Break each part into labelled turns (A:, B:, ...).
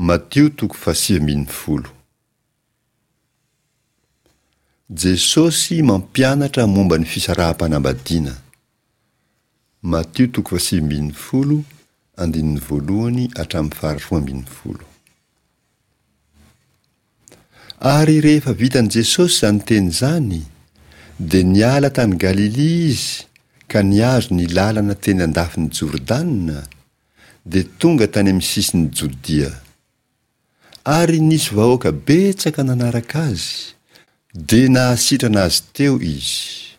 A: Matio toko fahasivy ambin'ny folo. Jesosy mampianatra momba ny fisaraham-panambadiana. Matio toko fahasivy ambin'ny folo, andininy voalohany hatramin'ny faharoa ambin'ny folo. Ary rehefa vitan'i Jesosy izany teny izany, dia niala tany Galilia izy ka nihazo ny lalana teny andafin'i Jordana, dia tonga tany amin'ny sisin'i Jodia. Ary nisy vahoaka betsaka nanaraka azy, dia nahasitrana azy teo izy.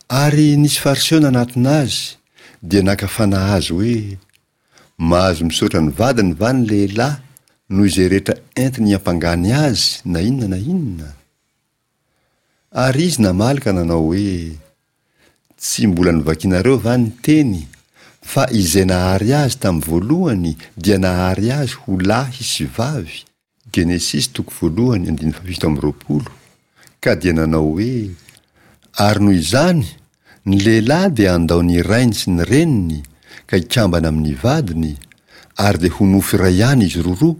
A: Ary nisy Fariseo nanatona azy, dia naka fanahy azy hoe, Mahazo misaotra ny vadiny va ny lehilahy noho izay rehetra entiny hiampangany azy na inona na inona? Ary izy namaly ka nanao hoe, Tsy mbola novakinareo va ny teny, fa izay nahary azy tamin'ny voalohany dia nahary azy ho lahy sy vavy, Genesisy toko voalohany andininy fahafito amby roapolo, ka dia nanao hoe, Ary noho izany, ny lehilahy dia handao ny rainy sy ny reniny ka hikambana amin'ny vadiny, ary dia ho nofo iray ihany izy roroa,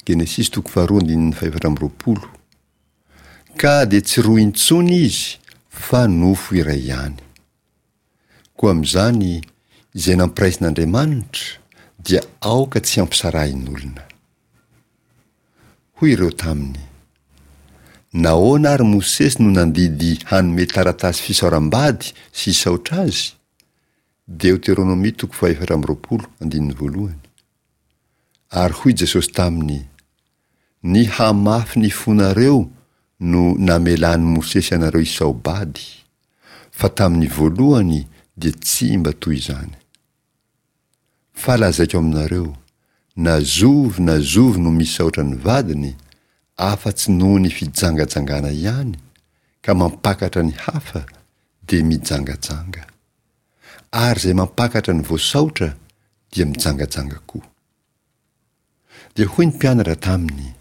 A: Genesisy toko faharoa andininy fahefatra amby roapolo. Ka dia tsy roa intsony izy fa nofo iray ihany. Koa amin'izany, izay nampiraisin'Andriamanitra dia aoka tsy hampisarahin'olona. Hoy ireo taminy, Nahoana ary Mosesy no nandidy hanome taratasy fisaoram-bady sy hisaotra azy? Deoteronomia toko fahaefatra amby roapolo, andininy voalohany. Ary hoy Jesosy taminy, Ny hamafy ny fonareo no namelan'i Mosesy anareo hisao-bady, fa tamin'ny voalohany dia tsy mba toy izany. Fa lazaiko aminareo, na zovy na zovy no misaotra ny vadiny, afa-tsy noho ny fijangajangana ihany, ka mampakatra ny hafa, dia mijangajanga. Ary izay mampakatra ny voasaotra dia mijangajanga koa. Dia hoy ny mpianatra taminy,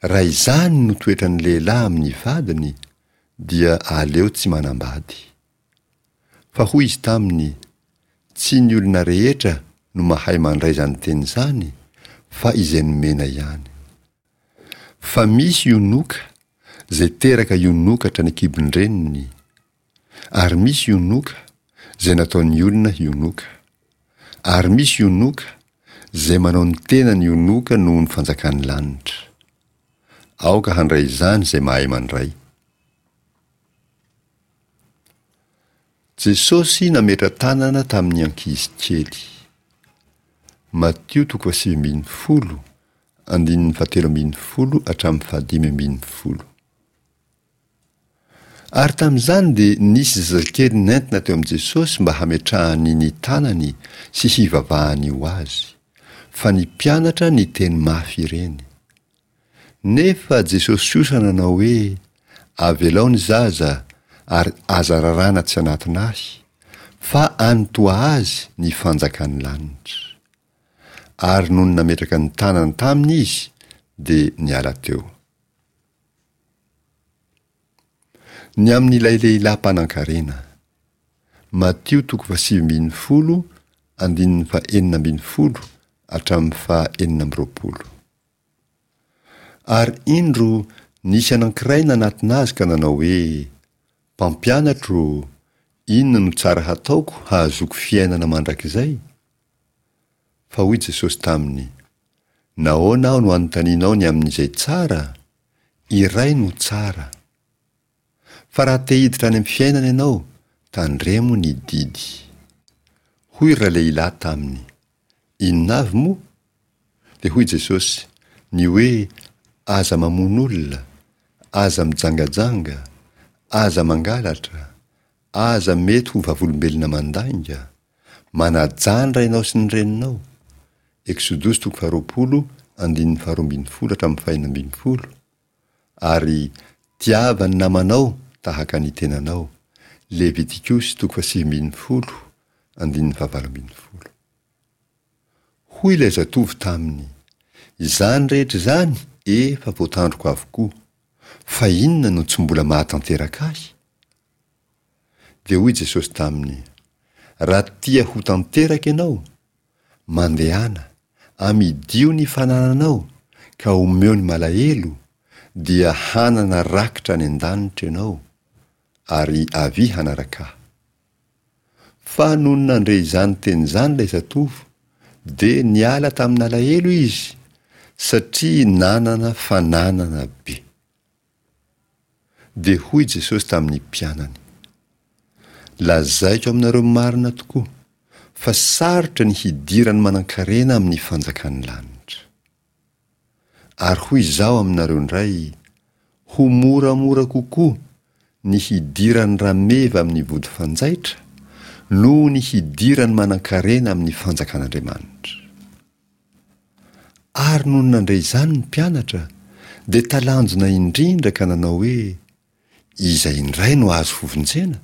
A: Raha izany no toetran'ny lehilahy amin'ny vadiny, dia aleo tsy manambady. Fa hoy izy taminy, Tsy ny olona rehetra no mahay mandray izany teny izany, fa izay nomena ihany. Fa misy ionoka, izay teraka ionoka hatrany an-kibon-dreniny, ary misy ionoka, izay nataon'ny olona hionoka, ary misy ionoka, izay manao ny tenany ionoka noho ny fanjakan'ny lanitra. Aoka handray izany izay mahay mandray. Jesosy nametra-tanana tamin'ny ankizy kely. Matio toko fahasivy ambin'ny folo, andininy fahatelo ambin'ny folo hatramin'ny fahadimy ambin'ny folo. Ary tamin'izany dia nisy zazakely nentina teo amin'i Jesosy mba hametrahany ny tanany sy hivavahany ho azy, fa ny mpianatra niteny mafy ireny. Nefa Jesosy kosa nanao hoe, Avelao ny zaza, ary aza raràna tsy hanatona Ahy, fa any toa azy ny fanjakan'ny lanitra. Ary nony nametraka ny tanany taminy Izy, dia niala teo. Ny amin'ilay lehilahy mpanankarena. Matio toko fahasivy ambin'ny folo, andininy fahenina ambin'ny folo hatramin'ny faha enina amby roapolo. Ary indro nisy anankiray nanatona azy ka nanao hoe, Mpampianatro ô, inona no tsara hataoko hahazoako fiainana mandrakizay? Fa hoy Jesosy taminy, Nahoana aho no anontanianao ny amin'izay tsara? Iray no tsara. Fa raha te hiditra any amin'ny fiainana ianao, tandremo ny didy. Hoy ralehilahy taminy, Inona avy moa? Dia hoy Jesosy, Ny hoe, Aza mamono olona, aza mijangajanga, aza mangalatra, aza mety ho vavolombelona mandainga, manajà ny rainao sy ny reninao, Eksodosy toko faharoapolo andininy faharoa ambin'ny folo hatramin'ny fahenina ambin'ny folo, ary tiava ny namanao tahaka ny tenanao, Levitikosy toko fahasivy ambin'ny folo andininy fahavalo ambin'ny folo. Hoy ilay zatovo taminy, Izany rehetra izany efa voatandroko avokoa, fa inona no tsy mbola mahatanteraka ahy? Dia hoy Jesosy taminy, Raha tia ho tanteraka ianao, mandehana, Amidio ny fanananao ka omeo ny malahelo, dia hanana rakitra any an-danitra ianao, ary avia hanaraka Ahy. Fa nony nandre izany teny izany ilay zatovo, dia niala tamin'alahelo izy, satria nanana fananana be. Dia hoy Jesosy tamin'ny mpianany, Lazaiko aminareo marina tokoa, fa sarotra ny hidiran'ny manankarena amin'ny fanjakan'ny lanitra. Ary hoy Izaho aminareo indray, Ho moramora kokoa ny hidiran'ny rameva amin'ny vody fanjaitra noho ny hidiran'ny manankarena amin'ny fanjakan'Andriamanitra. Ary nony nandre izany ny mpianatra, dia talanjona indrindra ka nanao hoe, Iza indray no azo hovonjena?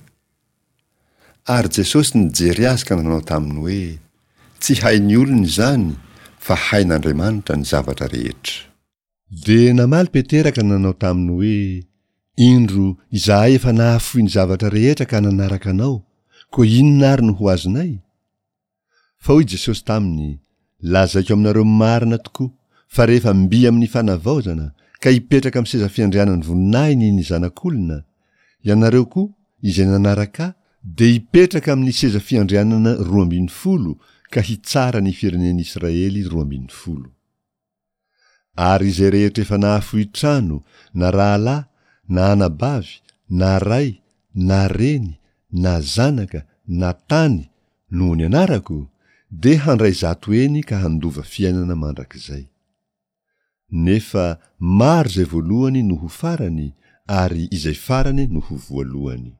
A: Ary Jesosy nijery azy ka nanao taminy hoe, Tsy hain'ny olona izany, fa hain'Andriamanitra ny zavatra rehetra. Dia namaly Petera ka nanao taminy hoe, Indro, izahay efa nahafoy ny zavatra rehetra ka nanaraka Anao, koa inona ary no ho azonay? Fa hoy Jesosy taminy, Lazaiko aminareo marina tokoa, fa rehefa mby amin'ny fanavaozana, ka hipetraka amin'ny seza fiandrianan'ny voninahiny ny Zanak'olona, ianareo koa, izay nanaraka Ahy, dia hipetraka amin'ny seza fiandrianana 12 ka hitsara ny firenen'Israely 12. Ary izay rehetra efa nahafoy trano, na rahalahy, na anabavy, na ray, na reny, na zanaka, na tany, noho ny anarako, dia handray zato heny ka handova fiainana mandrakizay. Nefa maro izay voalohany no ho farany, ary izay farany no ho voalohany.